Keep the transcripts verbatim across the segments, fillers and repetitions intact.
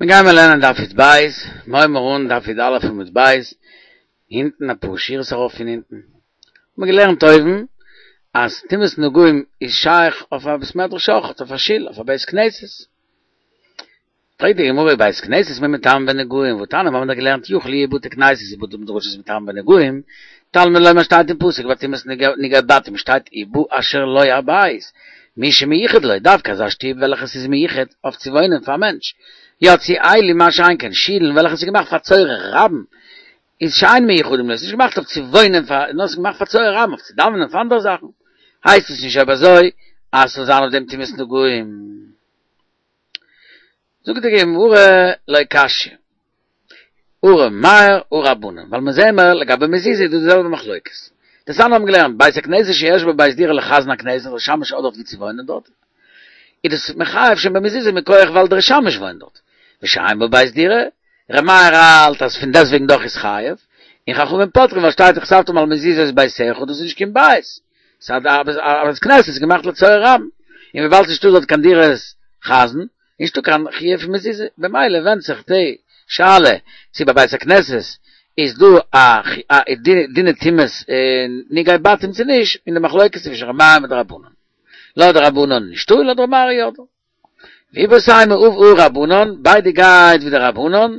מיר גייען מיר לערנען דף יוד בית, מיר הייבן אן דף יוד אלף עמוד בית, הינטן אפאר שורות ארויף פון הינטן. האבן מיר געלערנט אויבן אז טומאת נגעים איז שייך אויף א בית מדרש אויכעט, אויף א שול, אויף א בית כנסת. פרעגט די גמרא בית כנסת מי מיטמא בנגעים, והתניא מיר האבן דאך געלערנט יכול יהו בתי כנסיות ובתי מדרשות מטמאים בנגעים, תלמוד לומר שטייט אין פסוק ביי טומאת נגעי בתים שטייט ובאשר לו הבית, מי שמיוחד לו, דווקא אזא שטוב וועלכע ס'איז מיוחד אויף צו וואוינען פאר א מענטש, יצאו אלו מה שאין כן שילן וועלכע ס'איז געמאכט פאר צורך רבים, איז שאין מיוחדים לו, ס'איז נישט געמאכט אויף צו וואוינען פאר, נאר ס'איז געמאכט פאר צורך רבים, אויף צו דאווענען פאר אנדערע זאכן, הייסט עס נישט אויב אזוי אז ס'זאל זיין אויף דעם טומאת נגעים. זאגט די גמרא לא קשיא, הא ר' מאיר הא רבנן, ווייל מיר זעהן מיר לגבי מזוזה איז דא די זעלבע מחלוקת. דתניא האבן געלערנט, בית הכנסת שיש בו בית דירה לחזן הכנסת, דער שמש האט דארט ווי צו וואוינען דארט, איז דאס מחייב שוין במזוזה מכח ווייל דער שמש וואוינט דארט, ושאין בו בית דירה, ר' מאיר האלט אז פון דעסטוועגן דאך איז חייב, און חכמים פוטרים ווייל שטייט וכתבתם על מזוזות ביתך דאס איז נישט קיין בית, ס'איז א בית כנסת איז געמאכט לצורך רבים, און וויבאלד ס'נישטא דארט קיין דירת חזן, נישטא קיין חיוב פון מזוזה, במילא ווענדט זיך די שאלה צו ביי בית הכנסת איז דא א דיני טומאת נגעי בתים צו נישט, אין די מחלוקת צווישן ר' מאיר מיט די רבנן. לויט די רבנן נישטא און לויט ר' מאיר יא דא. ואיבעית אימא אף הא רבנן, ביידע גייט ווי די רבנן,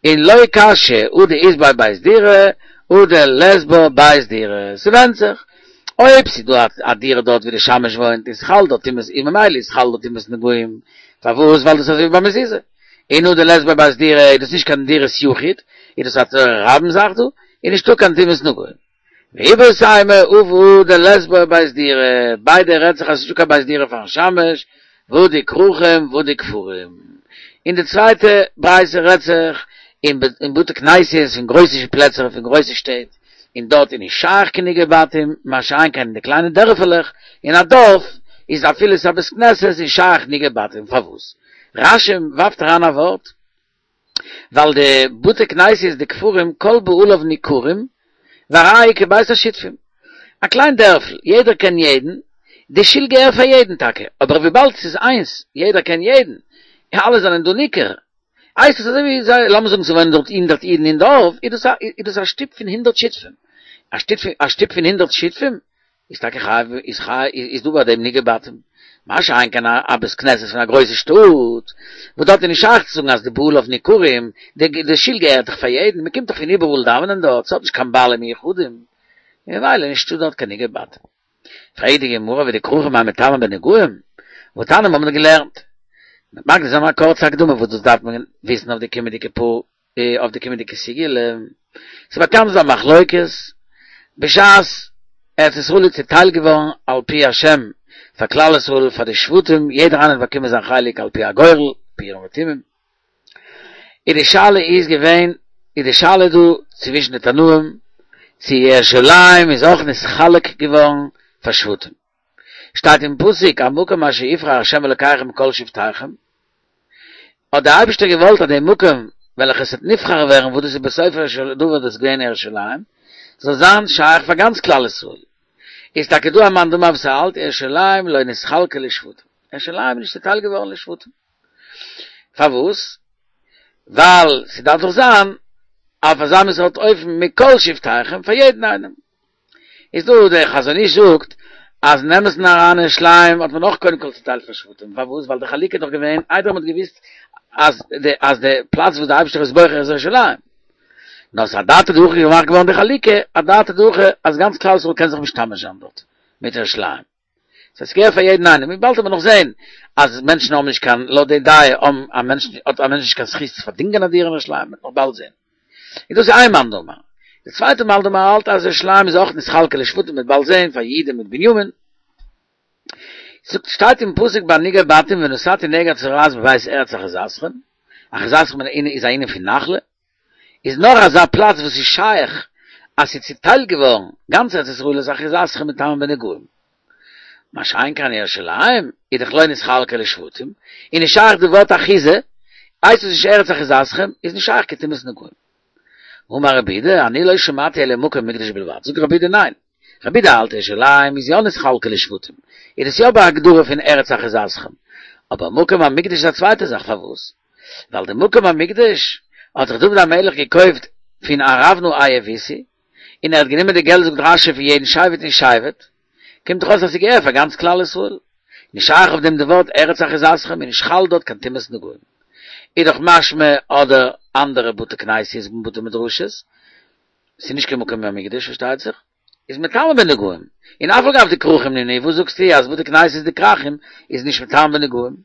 און לא קשיא הא דאית ביה בית דירה הא דלית בה בית דירה, ס'ווענדט זיך אויב ס'איז דא א דירה דארט ווי די שמש וואוינט איז חל דארט טומאת און ממילא איז חל דארט טומאת נגעים, פארוואס ווייל דאס איז אזוי ווי ביי מזוזה, און הא דלית בה בית דירה איז דאס נישט קיין דירת יחיד, איז דאס א צורך רבים זאך דא, איז נישטא קיין טומאת נגעים. ואיבעית אימא אף הא דלית בה בית דירה, ביידע רעדט זיך אז ס'נישטא קיין בית דירה פארן שמש, והא דכרכים והא דכפרים. און די צווייטע ברייתא רעדט זיך אין בתי כנסיות פון גרויסע פלעצער פון גרויסע שטעט, און דארט איז נישט שייך קיין נגעי בתים, מה שאין כן אין די קליינע דערפעלעך, אין א דארף איז אפילו ס'איז א בית כנסת איז שייך נגעי בתים, פארוואס? רש"י ווארפט אריין א ווארט, ווייל די בתי כנסיות דכפרים כל בעליו ניכרים והרי כבית השותפים. א קליין דערפל, יעדער קען יעדן, די שול געהער פאר יעדן טאקע, אבער וויבאלד ס'איז איינס, יעדער קען יעדן, אלע זענען דא ניכר, הייסט עס אזוי ווי זיי, לאמיר זאגן ס'וואוינען דארט הונדערט אידן אין דארף, איז דאס א איז דאס א שטוב פון הונדערט שותפים. א שטוב א שטוב פון הונדערט שותפים איז טאקע חייב איז חייב איז דא ביי דעם נגעי בתים. מה שאין כן א בית כנסת פון א גרויסע שטאט, וואס דארט איז נישט שייך צו זאגן אז די בעליו ניכרים, די די שול געהערט דאך פאר יעדן, מען קומט דאך פון איבעראל דאווענען דארט, ס'האט נישט קיין בעלים מיוחדים, ממילא נישטא דארט קיין נגעי בתים. פרעגט די גמרא ודכרכים מאי מיטמא בנגעים, והתניא מיר האבן געלערנט. מ'מאכט דא א קורצע הקדמה וואס דאס דארף מען וויסן אויף די קומענדיגע פאר אויף די קומענדיגע סוגיא. ס'איז באקאנט די מחלוקת בשעת ארץ ישראל איז צוטיילט געווארן על פי השם פאר כלל ישראל פאר די שבטים יעדער איינער האט באקומען זיין חלק על פי הגורל פי אורים ותומים איז די שאלה איז געווען איז די שאלה דא צווישן די תנאים צו ירושלים איז אויך נתחלק געווארן פאר שבטים שטייט אין פסוק המקום אשר יבחר ה' אלקיכם מכל שבטיכם האט דער אייבערשטער געוואלט אז די מקום וועלכע עס וועט נבחר ווערן וואס דאס איז בסופו של דבר דאס געווען ירושלים זאל זיין שייך פאר גאנץ כלל ישראל איז טאקע דא א מאן דאמר וואס האלט ירושלים לא נתחלקה לשבטים ירושלים איז נישט צוטיילט געווארן לשבטים פארוואס? ווייל ס'דארף דאך זיין אויף אזא מין סארט אופן מכל שבטיכם פאר יעדן איינעם. איז דא דער חזון איש זאגט אז אין אמת'ן אריין ירושלים האט מען אויך קודם כל צוטיילט פאר שבטים, פארוואס? ווייל די חלוקה איז דאך געווען איידער מ'האט געוואוסט אז די אז די פלאץ וואס די אייבערשטער איז בוחר איז ירושלים. נאר ס'איז אדעתא דהכי געמאכט געווארן די חלוקה, אדעתא דהכי אז גאנץ כלל ישראל קען זיך משתמש זיין דארט מיט ירושלים. ס'הייסט ס'געהער פאר יעדן איינעם, און באלד וועט מען נאך זען אז מענטשן האבן נישט קיין, לויט די דעה האבן א מענטש האט א מענטש נישט קיין זכות צו פארדינגען א דירה אין ירושלים, מ'וועט נאך באלד זען. און דאס איז איין מאן דאמר. די צווייטע מאן דאמר האלט אז ירושלים איז אויך נתחלקה לשבטים, מ'וועט באלד זען פאר יהודה מיט בנימין. זאגט שטייט אין פסוק ביי נגעי בתים ונתתי נגע צרעת בבית ארץ אחוזתכם, אחוזתכם איז א ענין פון נחלה, איז נאר אזא פלאץ וואס איז שייך אז ס'איז צוטיילט געווארן גאנץ ארץ ישראל איז אחוזתכם מטמא בנגעים. מה שאין כן ירושלים איז דאך לא נתחלקה לשבטים, און נישט שייך די ווארט אחיזה, הייסט עס נישט ארץ אחוזתכם, איז נישט שייך קיין טומאת נגעים. אמר רבי יהודה, אני לא שמעתי אלא מקום מקדש בלבד, זאגט רבי יהודה ניין, רבי יהודה האלט ירושלים איז יא נתחלקה לשבטים, איז עס יא בהגדרה פון ארץ אחוזתכם, אבער מקום המקדש איז א צווייטע זאך, פארוואס? ווייל די מקום המקדש האט זיך דוד המלך געקויפט פון ארונה היבוסי, און ער האט גענומען די געלט זאגט רשי פון יעדן שבט און שבט, קומט דאך אויס אז ס'געהער פאר גאנץ כלל ישראל. נישט שייך אויף דעם די ווארט ארץ אחוזתכם און נישט חל דארט קיין טומאת נגעים. איז דאך משמע אדער אנדערע בתי כנסיות און בתי מדרשות, ס'איז נישט קיין מקום המקדש פארשטייט זיך, איז מטמא בנגעים, און אף על גב דכרכים נינהו, וואס זאגסטו אז בתי כנסיות די כרכים איז נישט מטמא בנגעים?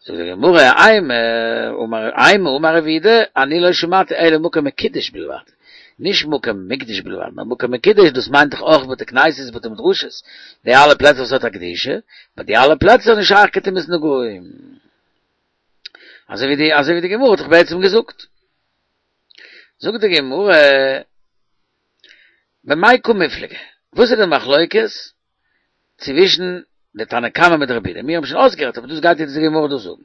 זאגט די גמרא, אימא אמר אימא אמר רב יהודה, אני לא שמעתי אלא מקום מקודש בלבד, נישט מקום מקדש בלבד, נאר מקום מקודש דאס מיינט דאך אויך בתי כנסיות בתי מדרשות, די אלע פלעצער וואס האט א קדושה, ביי די אלע פלעצער איז נישט שייך קיין טומאת נגעים. אזוי ווי די אזוי ווי די גמרא האט דאך בעצם געזאגט. זאגט די גמרא, במאי קא מיפלגי, וואס איז די מחלוקת צווישן די תנא קמא מיט רבי יהודה? מיר האבן שוין אויסגערעדט אבער דאס גייט יעצט די גמרא דא זאגן.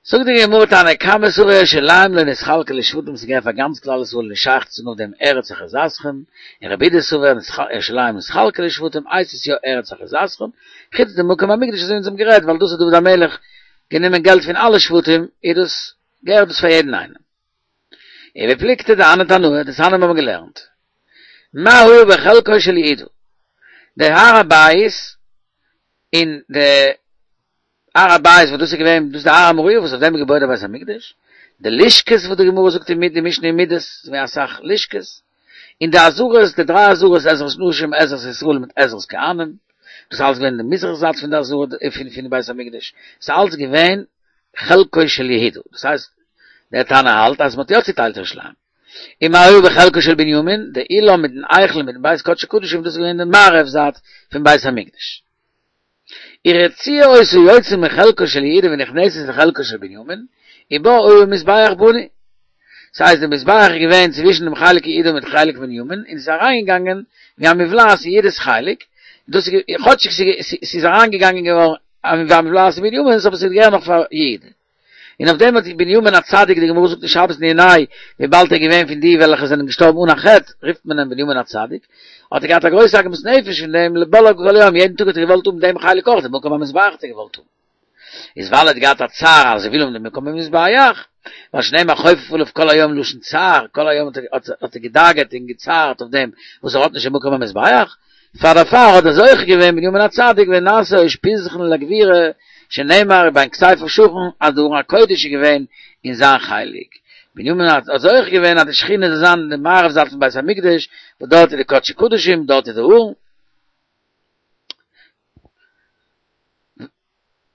זאגט די גמרא תנא קמא סבר ירושלים לא נתחלקה לשבטים ס'געהער פאר גאנץ כלל ישראל נישט שייך צו זאגן אויף דעם ארץ אחוזתכם, און רבי יהודה סבר ירושלים נתחלקה לשבטים הייסט עס יא ארץ אחוזתכם, חוץ די מקום המקדש אזוי ווי אונז האבן גערעדט ווייל דאס האט דוד המלך גענומען געלט פון אלע שבטים איז דאס געהערט דאס פאר יעדן איינעם. ובפלוגתא דהני תנאי, דתניא האבן געלערנט מה היה בחלקו של יהודה, די הר הבית און די הר הבית וואס דאס איז געווען דאס איז די הר המוריה וואס אויף דעם איז געבויט דער בית המקדש, די לשכות וואס די גמרא זאגט אין די משנה אין מידות, ס'איז געווען אסאך לשכות, און די עזרות, די דריי עזרות, עזרת נשים, עזרת ישראל מיט עזרת כהנים, דאס איז אלס געווען די מזרח זייט פון די עזרה פון פון בית המקדש, ס'איז אלס געווען חלקו של יהודה, דאס הייסט דער תנא האלט אז מ'האט יא צוטיילט ירושלים. און מה היה בחלקו של בנימין, די אולם מיטן היכל מיטן בית קדשי קדשים, דאס איז געווען די מערב זייט פון בית המקדש. ורצועה היתה יוצאה מחלקו של יהודה ונכנסת לחלקו של בנימין, ובה היה מזבח בנוי. ס'הייסט די מזבח איז געווען צווישן דעם חלק יהודה מיט חלק בנימין, און ס'איז אריינגעגאנגען ווי א מובלעת אין יהודה'ס חלק, דאס איז כאטשיג ס'איז אריינגעגאנגען געווארן ווי א מובלעת אין בנימין'ס אבער ס'איז געווען נאך פאר יהודה. און אויף דעם האט בנימין הצדיק, די גמרא זאגט אין שבת נ"ה, וויבאלד ער איז געווען פון די וועלכע זענען געשטארבן אן א חטא, רופט מען אים בנימין הצדיק, האט ער געהאט א גרויסע עגמת נפש פון דעם לבלעה כל היום, יעדן טאג האט ער געוואלט האבן דעם חלק אויך, דעם מקום המזבח האט ער געוואלט האבן. איז ווייל ער האט געהאט א צער אז ער וויל האבן דעם מקום המזבח, ווייל שנאמר חופף עליו כל היום לשון צער, כל היום האט ער געדאגה'ט און געצערט אויף דעם וואס ער האט נישט דעם מקום המזבח, פאר דערפאר האט ער זוכה געווען בנימין הצדיק ונעשה אושפיזכן לגבורה, שנאמר ובין כתפיו שכן אז די ארון הקודש איז געווען אין זיין חלק. בנימין האט זוכה געווען אז די שכינה זאל זיין אין די מערב זייט פון בית המקדש, וואס דארט איז די קדשי קדשים, דארט איז די ארון.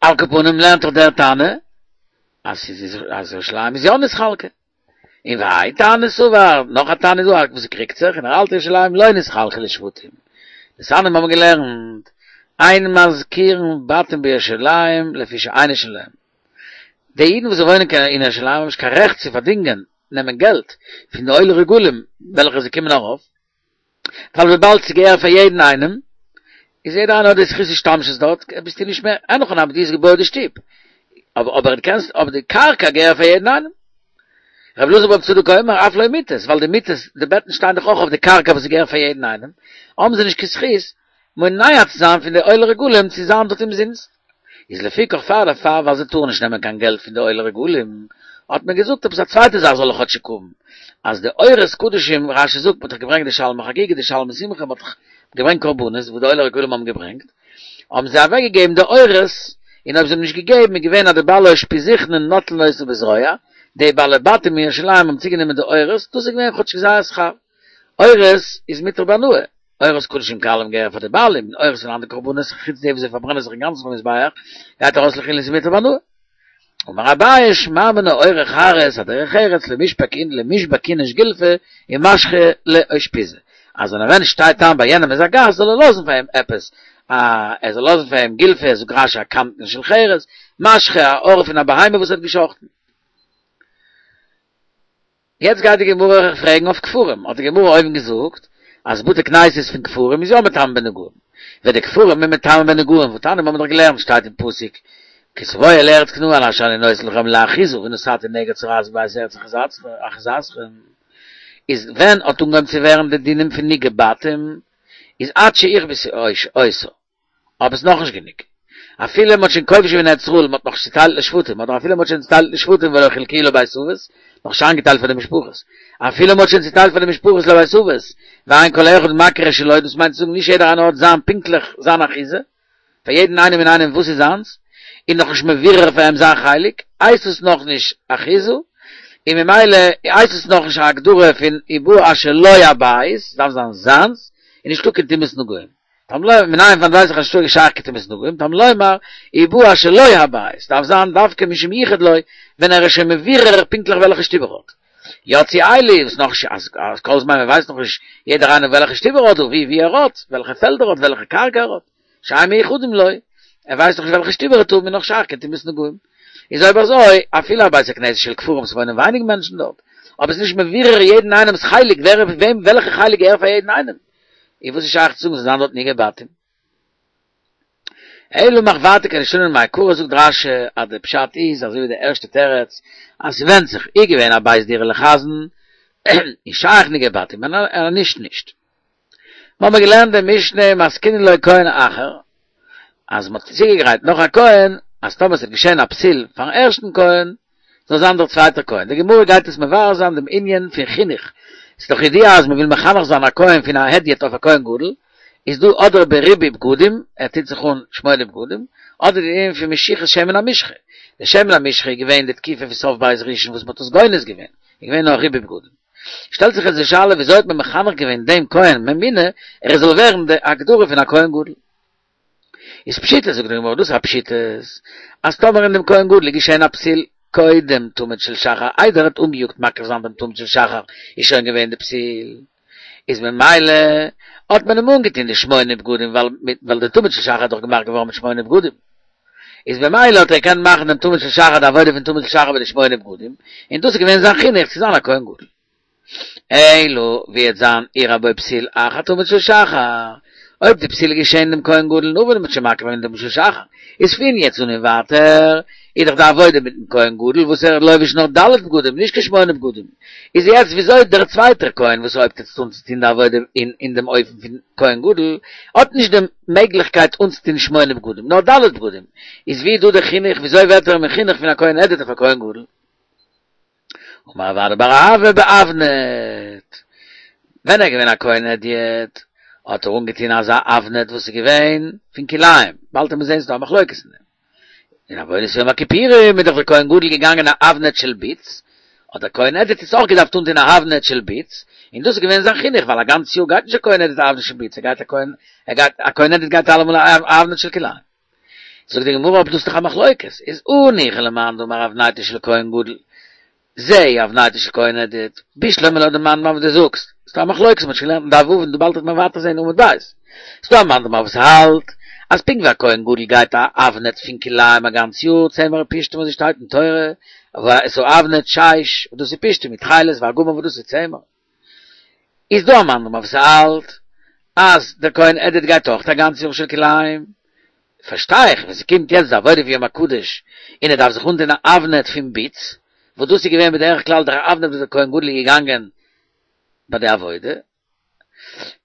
על כל פנים לערנט דאך דער תנא אז אז ירושלים איז יא נתחלקה. און והאי תנא סבר, נאך א תנא איז דא וואס קריגט זיך און ער האלט ירושלים לא נתחלקה לשבטים. דתניא האבן געלערנט, אין משכירין בתים בירושלים לפי שאינו שלהם. די אידן וואס וואוינען אין ירושלים האבן נישט קיין רעכט צו פארדינגען, נעמען געלט, פון די עולי רגלים וועלכע זיי קומען ארויף, ווייל וויבאלד ס'געהער פאר יעדן איינעם, איז יעדער איינער האט די זכות השתמשות דארט, ביסטו נישט מער, אין הכי נמי דו האסט געבויעט די שטוב, אבער אבער דו קענסט, אבער די קרקע געהער פאר יעדן איינעם. רבי אלעזר ברבי צדוק אומר, אף לא מיטות, ווייל די מיטות, די בעטן שטייען דאך אויך אויף די קרקע וואס געהער פאר יעדן איינעם, האבן זיי נישט קיין זכות מונע צו זיין פון די עולי רגלים צו זיין דארט אומזינסט. איז לפיכך פאר דערפאר ווייל זיי טארן נישט נעמען קיין געלט פון די עולי רגלים, האט מען געזאגט עפעס א צווייטע זאך זאל ער כאטשיג האבן, אז די עורות קדשים, רש"י זאגט מ'האט דאך געברענגט די שלמי חגיגה די שלמי שמחה, מ'האט דאך געברענגט קרבנות וואס די עולי רגלים האבן געברענגט, האבן זיי אוועק געגעבן די עורות, און אויב זיי האבן נישט געגעבן איז געווען אז די בעלי אושפיזכנין נוטלין אותה בזרוע, די בעלי בתים אין ירושלים האבן צוגענומען די עורות, דאס איז געווען כאטשיג זייער שכר. עורות איז מותר בהנאה, עורות קדשים קלים געהערן פאר די בעלים, און עורות פון אנדערע קרבנות חוץ די וואס זיי פארברענען זיך אינגאנצן פארן מזבח, גייט ארויס לחולין איז מותר בהנאה. אמר אביי שמע מינה עורי חרס אדרך ארץ למישבק איניש גולפא ומשכי לאושפיזא, אז ווען א מענטש שטייט איין ביי יענעם איז א גאסט זאל ער לאזן פאר אים עפעס א ער זאל לאזן פאר אים גולפא זאגט רש"י א קנקן של חרס, משכי א עור פון א בהמה וואס ער האט געשחטן. יעצט גייט די גמרא פרעגן אויף כפרים, האט די גמרא אויבן געזאגט אז בתי כנסיות פון כפרים איז יא מטמא בנגעים, ווען די כפרים איז מטמא בנגעים, והתניא האבן מיר דאך געלערנט שטייט אין פסוק כי תבואו אל ארץ כנען אשר אני נותן לכם לאחוזה ונתתי נגע צרעת בבית ארץ אחוזתכם, איז ווען האט אנגעהויבן צו ווערן די דינים פון נגעי בתים איז עד שיכבשו אותה. אבער ס'איז נאכנישט גענוג. אפילו מ'האט שוין כובש געווען ארץ ישראל, מ'האט נאך נישט צוטיילט לשבטים, אדער אפילו מ'האט שוין צוטיילט לשבטים ולא חלקוהו לבית אבות, נאך נישט איינגעטיילט פאר די משפחות. אפילו מ'האט שוין צוטיילט פאר די משפחות לבית אבות, ואין כל אחד מכיר את שלו, דאס מיינט צו זאגן נישט יעדער איינער האט זיין פונקטליך זיין אחיזה, פאר יעדן איינעם און איינעם וואס איז זיינס, און נאכנישט מבורר פאר אים זיין חלק, הייסט עס נאכנישט אחיזה, און ממילא הייסט עס נאכנישט א הגדרה פון ובא אשר לו הבית, ס'דארף זיין זיינס, און נישטא קיין טומאת נגעים. תלמוד לומר, מנין פון ווייס איך אז נישטא שייך קיין טומאת נגעים, תלמוד לומר, ובא אשר לו הבית, ס'דארף זיין דווקא משמיוחד לו, ווען ער איז שוין מבורר פונקטליך וועלכע שטוב ער האט. יצאו אלו, וואס נאך אז אז כל זמן מען ווייסט נאכנישט יעדער איינער וועלכע שטוב ער האט, ווי ווי ער האט, וועלכע פעלד ער האט, וועלכע קרקע ער האט, שאין מיוחדים לו, ער ווייסט נאכנישט וועלכע שטוב ער האט, איז נאך שייך קיין טומאת נגעים. איז אויב אזוי, אפילו א בית הכנסת של כפרים ס'וואוינען ווייניג מענטשן דארט, אבער ס'איז נישט מבורר יעדן איינעמ'ס חלק, ווער וועם וועלכע חלק געהער פאר יעדן איינעם. איז וואס איז שייך צו זאגן ס'זאל זיין דארט נגעי בתים? אלא מאך ווייטער כדשנין מעיקרא זאגט רש"י אז די פשט איז אזוי ווי די ערשטע תירוץ אז ס'ווענדט זיך איז געווען א בית דירה לחזן איז שייך נגעי בתים און נישט נישט. מ'האמער געלערנט די משנה מתקינין לו כהן אחר אז מ'האט צוגעגרייט נאך א כהן אז טאמער ס'וועט געשען א פסול פארן ערשטן כהן זאל זיין דער צווייטער כהן. די גמרא גייט עס מבאר זיין דעם ענין פון חינוך, ס'איז דאך ידוע אז מ'וויל מחנך זיין א כהן פון א הדיוט אויף א כהן גדול, איז דא אדער בריבוי בגדים, ער טוט זיך אן שמונה בגדים, אדער די ענין פון משיחת שמן המשחה, די שמן המשחה איז געווען די תקופה פון סוף בית ראשון וואס מ'האט עס גונז געווען, איז געווען נאר ריבוי בגדים. שטעלט זיך יעצט די שאלה וויאזוי האט מען מחנך געווען דעם כהן ממונה ער זאל ווערן די הגדרה פון א כהן גדול? איז פשיטא, זאגט די גמרא, דאס איז א פשיטות, אז טאמער אין דעם כהן גדול איז געשען א פסול קודם תמיד של שחר, איידער ער האט אנגעיאגט מקריב זיין דעם תמיד של שחר, איז שוין געווען די פסול, איז ממילא האט מען אים אנגעטון די שמונה בגדים, ווייל ווייל די תמיד של שחר איז דאך געמאכט געווארן מיט שמונה בגדים, איז ממילא האט ער געקענט מאכן דעם תמיד של שחר, די עבודה פון תמיד של שחר מיט די שמונה בגדים, און דאס איז געווען זיין חינוך צו זיין א כהן גדול. אלא ווי וועט זיין אירע בו פסול אחר תמיד של שחר, אויב די פסול איז געשען דעם כהן גדול נאך ווען מ'האט שוין מקריב געווען תמיד של שחר, איז פון יעצט אן און ווייטער איז דאך די עבודה מיטן כהן גדול וואס ער לובש נאר ד' בגדים נישט קיין שמונה בגדים, איז יעצט וויאזוי דער צווייטער כהן וואס הויבט יעצט אן צו טון די עבודה אין אין דעם אופן פון כהן גדול האט נישט די מעגליכקייט אנצוטון שמונה בגדים נאר ד' בגדים, איז ווי איז דא די חינוך וויאזוי ווערט ער מחונך פון א כהן הדיוט אויף א כהן גדול? אמר רב אדא בר אהבה באבנט, ווען ער איז געווען א כהן הדיוט, האט ער אנגעטון אזא אבנט וואס איז געווען פון כלאיים, באלד וועט מען זען ס'איז דא א מחלוקת אין דעם. אין עבודת יום הכיפורים איז דאך דער כהן גדול געגאנגען א אבנט של בוץ, האט דער כהן הדיוט יעצט אויך געדארפט אנטון א אבנט של בוץ, און דאס איז געווען זיין חינוך, ווייל א גאנץ יאר גייט נישט א כהן הדיוט א אבנט של בוץ, ער גייט א כהן, ער גייט, א כהן הדיוט גייט אלעמאל א אבנט של כלאיים. זאגט די גמרא אבער דאס איז דאך א מחלוקת, איז הניחא למאן דאמר אבנטו של כהן גדול, זו אבנטו של כהן הדיוט, בשלמא לויט די מאן דאמר וואס דו זאגסט, ס'דא א מחלוקת מ'האט שוין געלערנט אין דף ו' און דא באלד וועט מען ווייטער זעהן עמוד ב', ס'דא א מאן דאמר וואס האלט אז פונקט ווי א כהן גדול גייט א אבנט פון כלאיים א גאנץ יאר, צמר ופשתים וואס שטייט אין תורה, ואת האבנט שש וואס דאס איז פשתים מיט תכלת וארגמן וואס דאס איז צמר. איז דא א מאן דאמר וואס האלט אז דער כהן הדיוט גייט אויך א גאנץ יאר של כלאיים, פארשטיי איך ווען ס'קומט יעצט די עבודה פון יום הקדוש און ער דארף זיך אנטון א אבנט פון בוץ, וואס דאס איז געווען בדרך כלל דער אבנט וואס דער כהן גדול איז געגאנגען ביי די עבודה,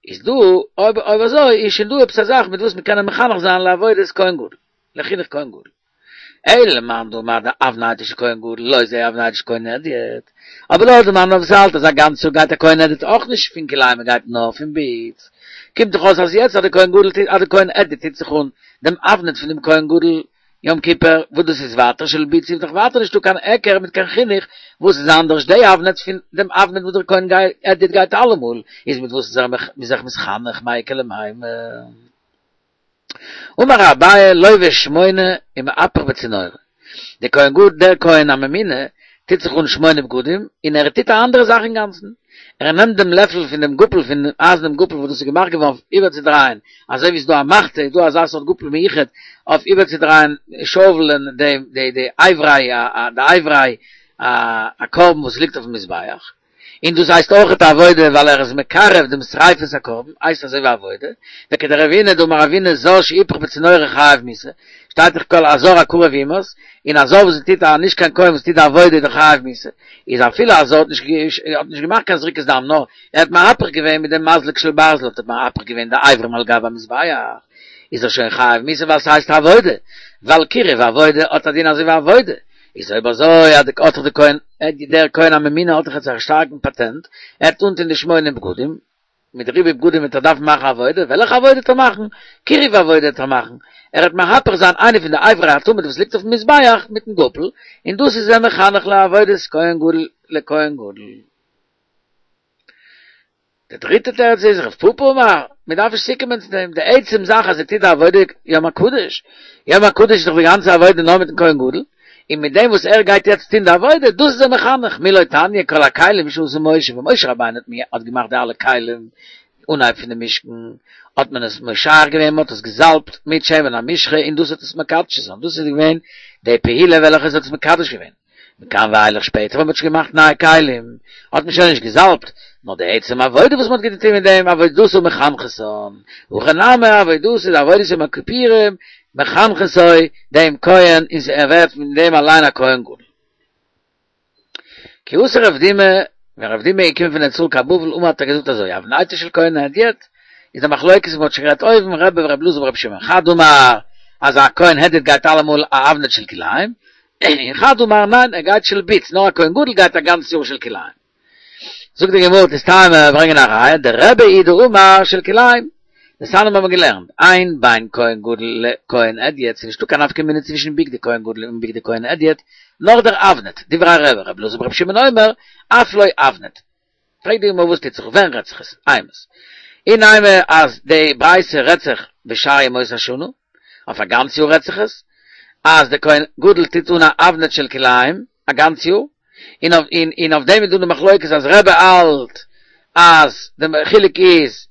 איז דא אויב אויב אזוי איז שוין דא עפעס א זאך מיט וואס מ'קען אים מחנך זיין לעבודת כהן גדול, לחינוך כהן גדול. אלא למאן דאמר דאבנטו של כהן גדול לא זו אבנטו של כהן הדיוט, אבער לויט די מאן וואס האלט אז א גאנץ יאר גייט א כהן הדיוט אויך נישט פון כלאיים ער גייט נאר פון בוץ, קומט דאך אויס אז יעצט אז די כהן גדול טוט אז די כהן הדיוט טוט זיך אן דעם אבנט פון דעם כהן גדול יום כיפור וואס דאס איז ווייטער של בוץ איז דאך ווייטער נישטא קיין היכר מיט קיין חינוך וואס איז אנדערש די אבנט פון דעם אבנט וואס דער כהן הדיוט גייט אלעמאל איז מיט וואס איז ער זיך מתחנך מאי איכא למימר. אמר אביי לובש שמונה ומהפך בצינורא, דער כהן גדול דער כהן הממונה טוט זיך אן שמונה בגדים און ער טוט א אנדערע זאך אינגאנצן, ער נעמט דעם לעפל פון דעם גאפל פון דעם אייזערנעם גאפל וואס דאס איז געמאכט געווארן אויף איבערצודרייען, אזוי ווי עס איז דא א מחתה איז דא אזא סארט גאפל מיוחד אויף איבערצודרייען שאוולען די די די אברי די אברי הקרבן וואס ליגט אויפן מזבח. און דאס הייסט אויכעט א עבודה ווייל ער איז מקרב דעם שריפת הקרבן, הייסט אזוי ווי עבודה, וכדרבינא דאמר רבינא זר שהיפך בצינורא חייב מיתה, שטייט דאך כל הזר הקרב יומת, און א זר וואס טוט א נישט קיין כהן וואס טוט די עבודה איז דאך חייב מיתה, איז אפילו א זר האט נישט האט נישט געמאכט קיין זריקת דם נאר ער האט מהפך געווען מיט דעם מזלג של ברזל האט ער מהפך געווען די אברים על גבי המזבח, איז ער שוין חייב מיתה ווייל ס'הייסט עבודה, ווייל קירוב ועבודה האט א דין אזוי ווי עבודה, איז אויב אזוי אז האט דאך די כהן דער כהן הממונה האט דאך יעצט א שטארקן פאטענט, ער וועט אנטון די שמונה בגדים, מיט ריבוי בגדים וועט ער דארפן מאכן עבודה, וועלכע עבודה וועט ער מאכן? קירוב עבודה וועט ער מאכן, ער וועט מהפך זיין איינע פון די אברי התמיד וואס ליגט אויפן מזבח מיטן גאפל, און דאס איז אים מחנך לעבודת כהן גדול לכהן גדול. די דריטע תירוץ איז רב פפא אמר, מען דארף נישט צוקומען צו דעם, די עצם זאך אז ער טוט די עבודה יום הקדוש, יום הקדוש איז דאך די גאנצע עבודה נאר מיטן כהן גדול, און מיט דעם וואס ער גייט יעצט טון די עבודה, דאס איז ער מחנך, מי לא תניא כל הכלים שעשה משה, ווען משה רבינו האט געמאכט די אלע כלים, אנהייב פון די משכן, האט מען עס משח געווען, מען האט עס געזאלבט מיט שמן המשחה און דאס האט עס מקדש זיין, דאס איז געווען די פעולה וועלכע עס האט עס מקדש געווען. מכאן ואילך שפעטער ווען מען האט שוין געמאכט נייע כלים, האט מען שוין נישט געזאלבט, נאר די עצם עבודה וואס מען האט געטון מיט דעם, עבודתו מחנכתן, הכא נמי עבודתו די עבודת יום הכיפורים, מחנכתו דעם כהן, און ער ווערט פון דעם אליין א כהן גדול. כי אתא רב דימי, ווען רב דימי איז געקומען פון ארץ ישראל קיין בבל אמר האט ער געזאגט אזוי, אבנטו של כהן הדיוט, איז די מחלוקת וואס מען האט שוין גערעדט אויבן, רבי ורבי אלעזר ברבי שמעון, חד אמר אז א כהן הדיוט גייט אלעמאל א אבנט של כלאיים, און חד אמר ניין ער גייט של בוץ, נאר א כהן גדול גייט א גאנץ יאר של כלאיים. זאגט די גמרא תסתיימא ברענגען א ראיה, דרבי היא דאמר של כלאיים, דתניא האבן מיר געלערנט, אין בין כהן גדול לכהן הדיוט, ס'איז נישטא קיין נפקא מינה צווישן בגדי כהן גדול און בגדי כהן הדיוט, נאר דער אבנט, דברי רבי, רבי אלעזר ברבי שמעון אומר, אף לא אבנט. פרעגט די גמרא וואס טוט זיך, ווען רעדט זיך עס, אימת. אי נימא אז די ברייתא רעדט זיך בשאר ימות השנה, אויף א גאנץ יאר רעדט זיך עס, אז דער כהן גדול טוט אן א אבנט של כלאיים א גאנץ יאר, און און אויף דעם איז דא די מחלוקת אז רבי האלט אז די חילוק איז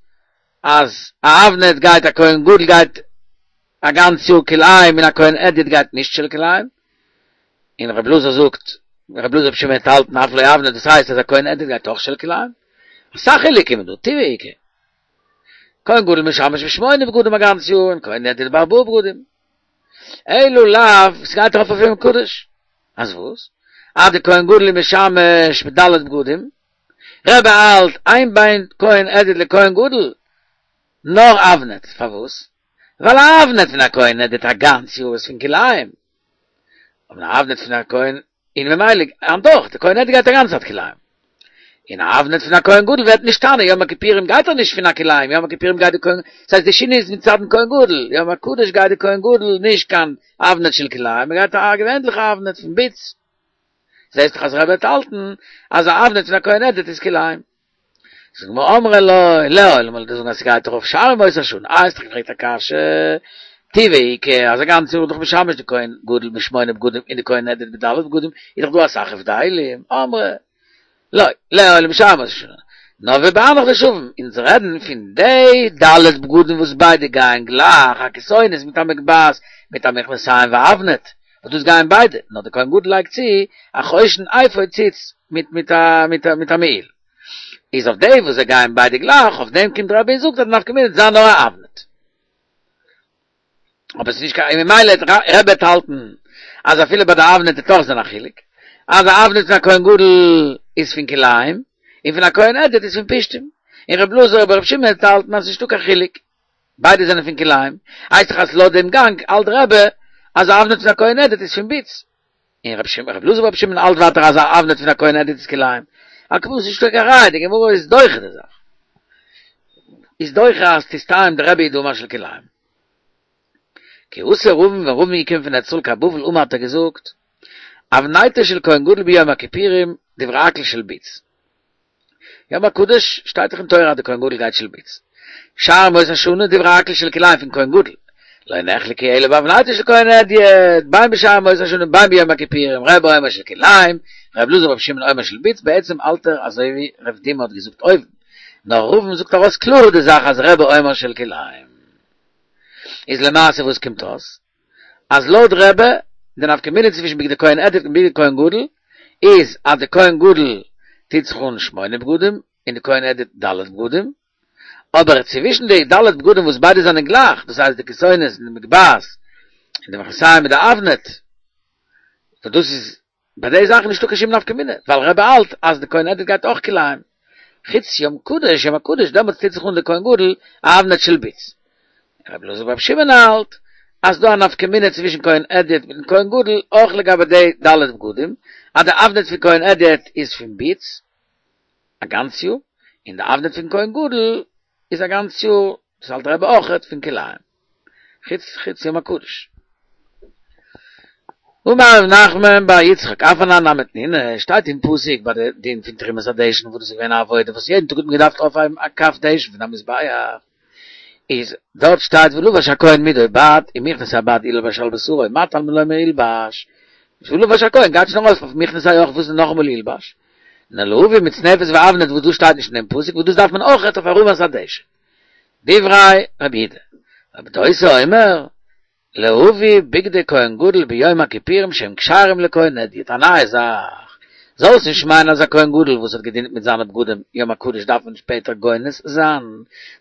אז א אבנט גייט א כהן גדול גייט א גאנץ יאר כלאיים און א כהן הדיוט גייט נישט של כלאיים, און רבי אלעזר זאגט, רבי אלעזר ברבי שמעון האט געהאלטן אף לא אבנט דאס הייסט אז א כהן הדיוט גייט אויך של כלאיים, אסאך חילוקים איז דא, טובא איכא. כהן גדול משמש בשמונה בגדים א גאנץ יאר און כהן הדיוט בארבעה בגדים. אלא לאו, ס'גייט ארויף אויף יום הקדוש. אז וואס? אז די כהן גדול איז משמש בד' בגדים, רבי האלט אין בין כהן הדיוט לכהן גדול, נאר אבנט, פארוואס? ווייל א אבנט פון א כהן הדיוט א גאנץ יאר איז פון כלאיים, אבער א אבנט פון א כהן און ממילא היינט אויך, די כהן הדיוט גייט א גאנצע צייט כלאיים. און א אבנט פון א כהן גדול ווערט נשתנה, יום הכיפורים גייט ער נישט פון א כלאיים, יום הכיפורים גייט די כהן, ס'הייסט די שינוי איז מצד'ן כהן גדול, יום הקדוש גייט די כהן גדול נישט קיין אבנט של כלאיים, ער גייט א געווענליכע אבנט פון בוץ. זעסט דאך אז רבי האט געהאלטן אז א אבנט פון א כהן הדיוט איז כלאיים. זאגט די גמרא אמרי לא, לעולם וועל איך דיר זאגן אז ס'גייט ארויף שאר ימות השנה, איי האסט דאך געפרעגט א קשיא, טובא איכא, אז א גאנץ יאר איז דאך משמש די כהן גדול בשמונה בגדים און די כהן הדיוט בד' בגדים, איז דאך דא אסאך הבדלים, אמרי לא, לעולם שאר ימות השנה, נאר ובהנך דשוין, אונז רעדן פון די ד' בגדים וואס ביידע גייען גלייך, א כתונת מיט א מגבעת מיט א מכנסיים ואבנט, וואס דאס גייען ביידע, נאר די כהן גדול לייגט צו א חושן אפוד ציץ מיט מיט א מיט א מעיל. איז אויף די וואס זיי גייען ביידע גלייך, אויף דעם קומט רבי און זאגט אז די נפקא מינה וועט זיין נאר א אבנט. אבער ס'איז נישט קיין, און ממילא וועט רבי וועט האלטן אז אפילו ביי די אבנט וועט אויך זיין א חילוק, אז א אבנט פון א כהן גדול איז פון כלאיים, און פון א כהן הדיוט איז פון פשתים, און רבי אלעזר ברבי שמעון וועט האלטן אז ס'איז נישטא קיין חילוק, ביידע זענען פון כלאיים, הייסט דאך אז לויט דעם גאנג האלט רבי אז א אבנט פון א כהן הדיוט איז פון בוץ. און רבי שמעון רבי אלעזר ברבי שמעון האלט ווייטער אז א אבנט פון א כהן הדיוט איז כלאיים. על כל פנים ס'איז נישטא קיין ראיה, די גמרא איז דוחה די זאך. איז דוחה אז תסתיים דרבי היא דאמר של כלאיים. כי אתא רבין ווען רבין איז געקומען פון ארץ ישראל קיין בבל אמר האט ער געזאגט אבנטו של כהן גדול ביום הכיפורים דברי הכל של בוץ. יום הקדוש שטייט דאך אין תורה אז די כהן גדול גייט של בוץ. שאר ימות השנה דברי הכל של כלאיים פון כהן גדול. לא נחלקו אלא באבנטו של כהן הדיוט, בין בשאר ימות השנה בין ביום הכיפורים, רבי אומר של כלאיים, רבי אלעזר ברבי שמעון אומר של בוץ, בעצם האלט ער אזוי ווי רב דימי האט געזאגט אויבן, נאר רבין זאגט ארויס קלאר די זאך אז רבי אומר של כלאיים. איז למעשה וואס קומט אויס? אז לויט רבי, די נפקא מינה צווישן בגדי כהן הדיוט און בגדי כהן גדול, איז אז די כהן גדול טוט זיך אן שמונה בגדים און די כהן הדיוט ד' בגדים, אבער צווישן די ד' בגדים וואס ביידע זענען גלייך, דאס הייסט די כתונת און די מגבעת און די מכנסיים מיט די אבנט, וואס דאס איז ביי די זאכן נישטא קיין שום נפקא מינה, ווייל רבי האלט אז די כהן הדיוט גייט אויך כלאיים, חוץ יום קדוש, יום הקדוש דעמאלטס טוט זיך אן די כהן גדול א אבנט של בוץ. רבי אלעזר ברבי שמעון האלט אז דא א נפקא מינה צווישן כהן הדיוט מיטן כהן גדול אויך לגבי די ד' בגדים, אז די אבנט פון כהן הדיוט איז פון ביץ א גאנץ יאר, און די אבנט פון כהן גדול איז א גאנץ יאר, דאס האלט רבי אויכעט, פון כלאים, חוץ חוץ יום הקדוש. אמר רב נחמן בר יצחק, אף אנן נמי תנינא, שטייט אין פסוק ביי די דין פון תרומת הדשן וואס דאס איז געווען א עבודה וואס יעדן טאג האט מען געדארפט אויפהייבן א כף דשן פון א מזבח, איז דארט שטייט ולבש הכהן מדו בד ומכנסי הבד ילבש על בשרו מה תלמוד לומר ילבש ולבש הכהן גייט שוין ארויף אויף מכנסי אויך וואס איז נאכאמאל ילבש נאר להביא מצנפת ואבנט וואס דאס שטייט נישט אין דעם פסוק וואס דאס דארף מען אויכעט אויף הרמת הדשן דברי רבי יהודה רבי דוסא אומר להביא בגדי כהן גדול ביום הכיפורים שהם כשרים לכהן הדיוט, א נייע זאך, זאלסט נישט מיינען אז א כהן גדול וואס האט געדינט מיט זיינע בגדים יום הקדוש דארף מען שפעטער גונז זיין,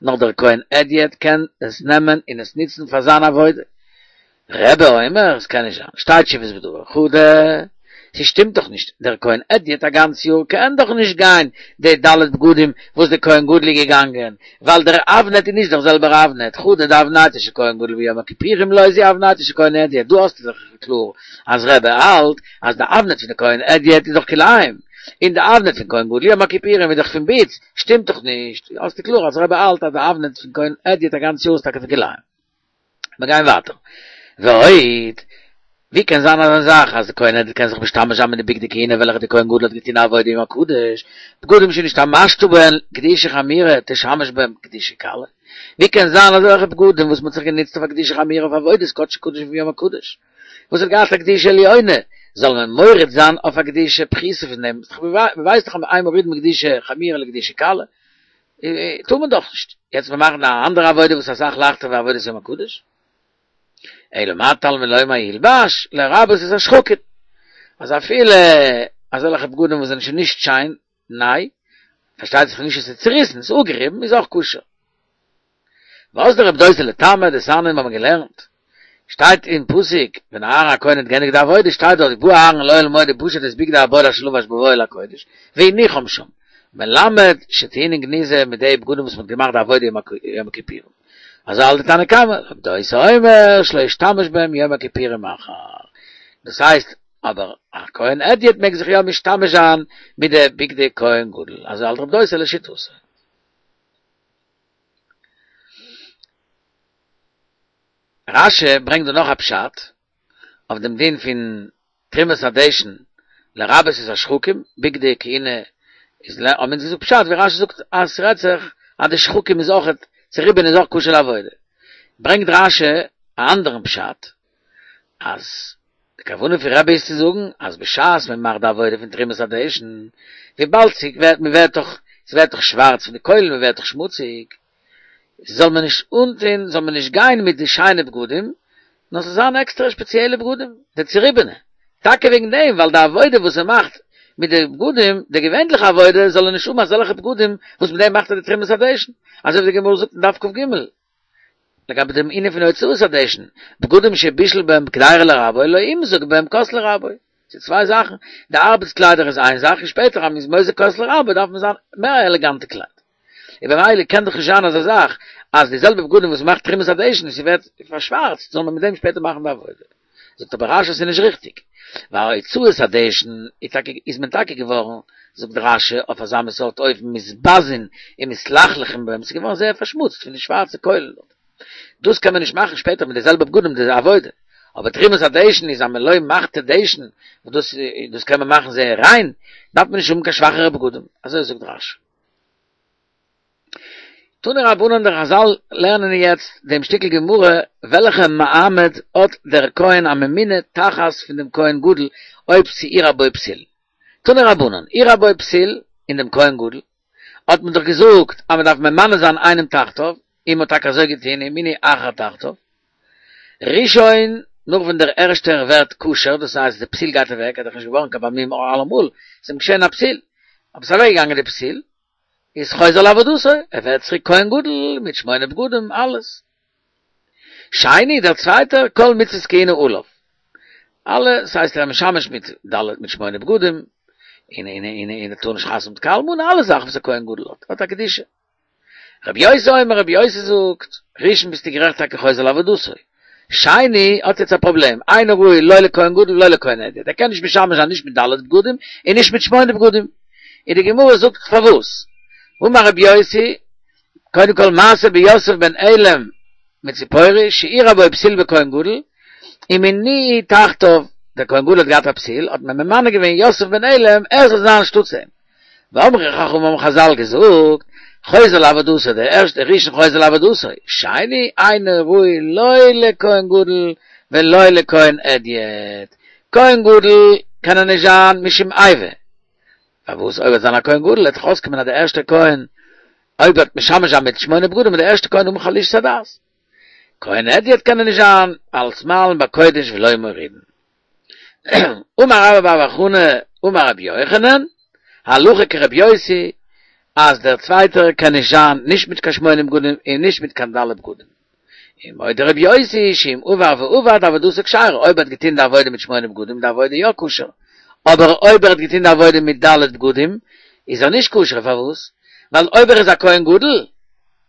נאר דער כהן הדיוט קען עס נעמען און עס נוצן פאר זיין עבודה. רבי אומר, עס קען נישט זיין, שתי תשובות בדבר, חדא, ס'שטימט דאך נישט, דער כהן הדיוט א גאנץ יאר קען דאך נישט גיין די ד' בגדים וואס דער כהן גדול איז געגאנגען, ווייל דער אבנט איז נישט דער זעלבער אבנט, חדא דאבנטו של כהן גדול ביום הכיפורים לא זו אבנטו של כהן הדיוט, דא האסטו דאך קלאר אז רבי האלט אז די אבנט פון די כהן הדיוט איז דאך כלאים, און די אבנט פון כהן גדול יום הכיפורים איז דאך פון ביץ, שטימט דאך נישט, האסטו קלאר אז רבי האלט אז די אבנט פון כהן הדיוט א גאנץ יאר איז טאקע פון כלאים. מיר גייען ווייטער. ועוד, ווי קען זיין אזא זאך אז די כהן הדיוט קען זיך משתמש זיין מיט די בגדי כהונה וועלכע די כהן גדול האט געטון א עבודה יום הקדוש, בגדים שנשתמשת בהן קדושה חמורה תשמש בהם קדושה קלה? ווי קען זיין אזעלכע בגדים וואס מ'האט זיך גענוצט אויף א קדושה חמורה אויף עבודת קדשי קדשים פון יום הקדוש וואס האט געהאט א קדושה עליונה זאל מען מוריד זיין אויף א קדושה פחותה פון דעם? מ'ווייסט דאך אז אין מורידין מקדושה חמורה לקדושה קלה טאר מען דאך נישט. יעצט מיר מאכן א אנדערע עבודה וואס איז אסאך לייכטער ווי עבודת יום הקדוש. אלא מה תלמוד לומר ילבש, לרבות את השחקין. אז אפילו אזעלכע בגדים וואס זענען שוין נישט שיין, ניי, פארשטייט זיך נישט עס איז צוריסן, עס איז אפגעריבן, איז אויך כשר. ואזדא רבי דוסא לטעמיה דתניא מיר האבן געלערנט, שטייט אין פסוק, ווען אהרן הכהן האט געענדיגט די עבודה שטייט דארט ובא אהרן אל אוהל מועד ופשט את בגדי הבד אשר לבש בבואו אל הקודש והניחם שם, מלמד שטעונין גניזה מיט די בגדים וואס מען האט געמאכט די עבודה יום הכיפורים. אזוי האלט די תנא קמא, רבי דוסא אומר שלא ישתמש בהם יום הכיפורים אחר. דאס הייסט, אבער א כהן הדיוט מעג זיך יא משתמש זיין מיט די בגדי כהן גדול, אזוי האלט רבי דוסא לשיטתו. רש"י ברענגט דא נאך א פשט אויף דעם דין פון תרומת הדשן לרבות את השחקים, בגדי כהונה איז ל האבן אונז געזאגט פשט ווי רש"י זאגט אז ס'רעדט זיך אז די שחקים איז אויכעט צוריבען איז אויך כשר לעבודה, ברענגט רש"י א אנדערן פשט אז די כוונה פון רבי איז צו זאגן אז בשעת מען מאכט די עבודה פון תרומת הדשן, וויבאלד ס'ווערט מ'ווערט דאך ס'ווערט דאך שווארץ פון די קוילן מ'ווערט דאך שמוציג, זאל מען נישט אנטון, זאל מען נישט גיין מיט די שיינע בגדים, נאר ס'זאל זיין עקסטערע שפעציעלע בגדים, די צוריבענע, טאקע וועגן דעם, ווייל די עבודה וואס ער מאכט מיט די בגדים, די געווענליכע עבודה, זאל ער נישט האבן אזעלכע בגדים וואס מיט דעם מאכט ער די תרומת הדשן, אזוי ווי די גמרא זאגט אין דף כ"ג, לגבי דעם ענין פון הוצאת הדשן, בגדים שבישל בהם קדירה לרבו, לא ימזוג בהם כוס לרבו. ס'איז צוויי זאכן, די ארבעטס קליידער איז איין זאך, און שפעטער אז מ'איז מוזג כוס לרבו דארף מען זיין מער עלעגאנטע קלייד. און במילא קען דאך נישט זיין אזא זאך אז די זעלבע בגדים וואס מ'מאכט תרומת הדשן און ס'ווערט פארשווארצט זאל מען מיט דעם שפעטער מאכן די עבודה. זאגט אבער רש"י ס'איז נישט ריכטיג, ווייל הוצאת הדשן איז טאקע איז מען טאקע געווארן, זאגט רש"י, אויף אזא מין סארט אופן מתבזין און מתלכלכין בהם, ס'איז געווארן זייער פארשמוצט פון די שווארצע קוילן דארט. דאס קען מען נישט מאכן שפעטער מיט די זעלבע בגדים די עבודה. אבער תרומת הדשן איז א מלא מחתה דשן, וואס דאס דאס קען מען מאכן זייער ריין, דארף מען נישט האבן קיין שוואכערע בגדים. אזוי זאגט רש"י. תנו רבנן די חזל לערנען יעצט דעם שטיקל גמרא וועלכע מעמד האט דער כהן הממונה תחת פון דעם כהן גדול אויב ס'אירע בו פסול. תנו רבנן אירע בו פסול אין דעם כהן גדול האט מען דאך געזאגט אז מען דארף ממנה זיין איינעם תחתיו און מען האט טאקע אזוי געטון ומינו אחר תחתיו. ראשון נאך ווען דער ערשטער ווערט כשר דאס הייסט די פסול גייט אוועק ער איז דאך נישט געווארן קיין בעל מום אלעמאל ס'איז אים געשען א פסול אבער ס'איז אוועק געגאנגען די פסול איז חוזר לעבודתו, ער ווערט צוריק כהן גדול מיט שמונה בגדים, אלעס. שני, דער צווייטער, כל מצוות כהונה עליו. אלע, ס'הייסט ער איז משמש מיט ד' מיט שמונה בגדים, און און און און ער טאר נישט חתונה מיט קיין אלמנה, אלע זאכן וואס א כהן גדול האט, האט א קדושה. רבי יוסי אומר, רבי יוסי זאגט, ראשון ביסטו גערעכט טאקע חוזר לעבודתו. שני האט יעצט א פראבלעם, אינו ראוי לא לכהן גדול ולא לכהן הדיוט, ער קען נישט משמש זיין נישט מיט ד' בגדים און נישט מיט שמונה בגדים. און די גמרא זאגט פארוואס. אמר רבי יוסי, קודם כל מעשה ביוסף בן עילם מציפורי שאירע בו פתיל בכהן גדול, ומינוהו תחתיו, דער כהן גדול האט געהאט א פתיל, האט מען ממנה געווען יוסף בן עילם ער זאל זיין אנשטאטס אים. ואמרו חכמים האבן חזל געזאגט, חוזר לעבודתו, דער ערשטער ראשון חוזר לעבודתו, שני אינו ראוי לא לכהן גדול ולא לכהן הדיוט, כהן גדול קען ער נישט זיין משום איבה, פארוואס אויב ער וועט זיין א כהן גדול וועט דאך אויסקומען אז דער ערשטער כהן אויב וועט משמש זיין מיט שמונה בגדים וועט דער ערשטער כהן האבן חלישות הדעת, כהן הדיוט קען ער נישט זיין אלס מעלין בקודש ולא מורידין. אמר רבה בר בר חנה אמר רבי יוחנן, הלכה כרבי יוסי, אז דער צווייטער קען נישט זיין נישט מיט קיין שמונה בגדים און נישט מיט קיין ד' בגדים. ומודה רבי יוסי שאם עבר ועבד עבודתו כשרה, אויב ער האט געטון די עבודה מיט שמונה בגדים איז די עבודה יא כשר, אבער אויב ער האט געטון די עבודה מיט ד' בגדים איז ער נישט כשר, פארוואס? ווייל אויב ער איז א כהן גדול,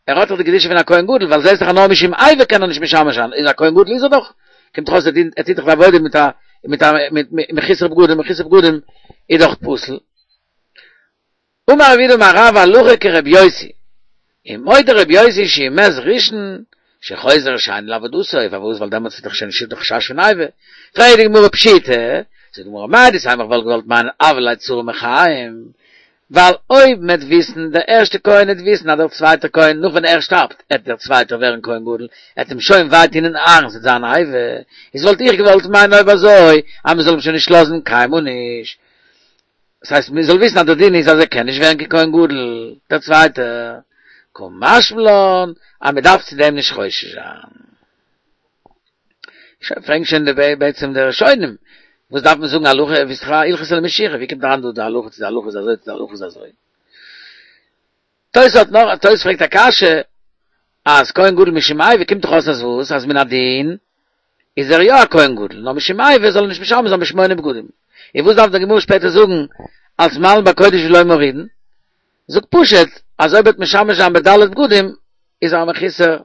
ער האט דאך די קדושה פון א כהן גדול, ווייל זעסט דאך אז נאר משום איבה קען ער נישט משמש זיין, איז א כהן גדול איז ער דאך, קומט דאך אויס ער טוט דאך די עבודה מיט א מיט א מיט מחוסר בגדים, מחוסר בגדים איז דאך פסול. אמר רב יהודה אמר רב הלכה כרבי יוסי, ומודה רבי יוסי שאם מת ראשון שחוזר שני לעבודתו, פארוואס ווייל דעמאלטס איז דאך שוין נישטא די חשש פון איבה, פרעגט די גמרא פשיטא, זאגט די גמרא מהו דתימא איך וואלט געוואלט מיינען הוה ליה צרה מחיים, ווייל אויב מ'עט וויסן, דער ערשטער כהן עט וויסן אז דער צווייטער כהן נאך ווען ער שטארבט עט דער צווייטער ווערן כהן גדול, עט אים שוין וויי טון אין ארון ס'עט זיין איבה, איז וואלט איך געוואלט מיינען אויב אזוי אז מ'זאל אים שוין נישט לאזן קיינמאל נישט, דאס הייסט מ'זאל וויסן אז דער דין איז אז ער קען נישט ווערן קיין כהן גדול, דער צווייטער, קא משמע לן אז מ'דארף צו דעם נישט חושש זיין. שוין פרעגן שוין די בעצם די ראשונים, וואס דארף מען זאגן הלכה, ווי ס'איז דאך הלכתא למשיחא, ווי קומט אריין דא די הלכה צו די הלכה איז אזוי צו די הלכה איז אזוי. תוס' האט נאך, תוס' פרעגט א קשיא, אז כהן גדול משום איבה קומט דאך אויס אז וואס, אז מן הדין איז ער יא א כהן גדול, נאר משום איבה זאל ער נישט משמש זיין בשמונה בגדים. און וואס דארף די גמרא שפעטער זאגן אלס מעלין בקודש ולא מורידין? זאג פשוט אז אויב ער וועט משמש זיין בד' בגדים איז ער א מחוסר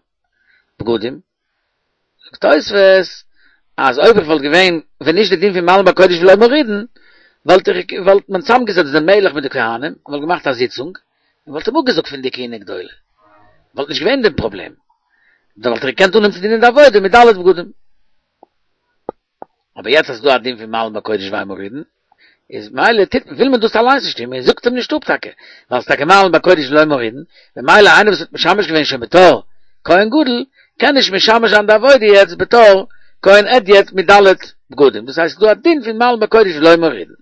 בגדים. זאגט תוספות אז אויב איך וואלט געווען ווען נישט די דין פון מעלין בקודש ולא מורידין וואלט איך וואלט מען צוזאמגעזעצט דעם מלך מיט די כהנים און וואלט געמאכט א זיצונג און וואלט אים אפגעזאגט פון די כהונה גדולה וואלט נישט געווען דעם פראבלעם דאן וואלט ער געקענט אנהויבן צו דינען די עבודה מיט ד' בגדים. אבער יעצט אז ס'איז דא א דין פון מעלין בקודש ואין מורידין, איז מילא טוט וויל מען דאס אליינס נישט טון, מען זאגט אים נישט אפ טאקע, ווייל ס'איז טאקע מעלין בקודש ולא מורידין, ממילא איינער וואס האט משמש געווען שוין בתור כהן גדול, קען נישט משמש זיין די עבודה יעצט בתור כהן הדיוט מיט ד' בגדים, דאס הייסט ס'איז דא א דין פון מעלין בקודש ולא מורידין.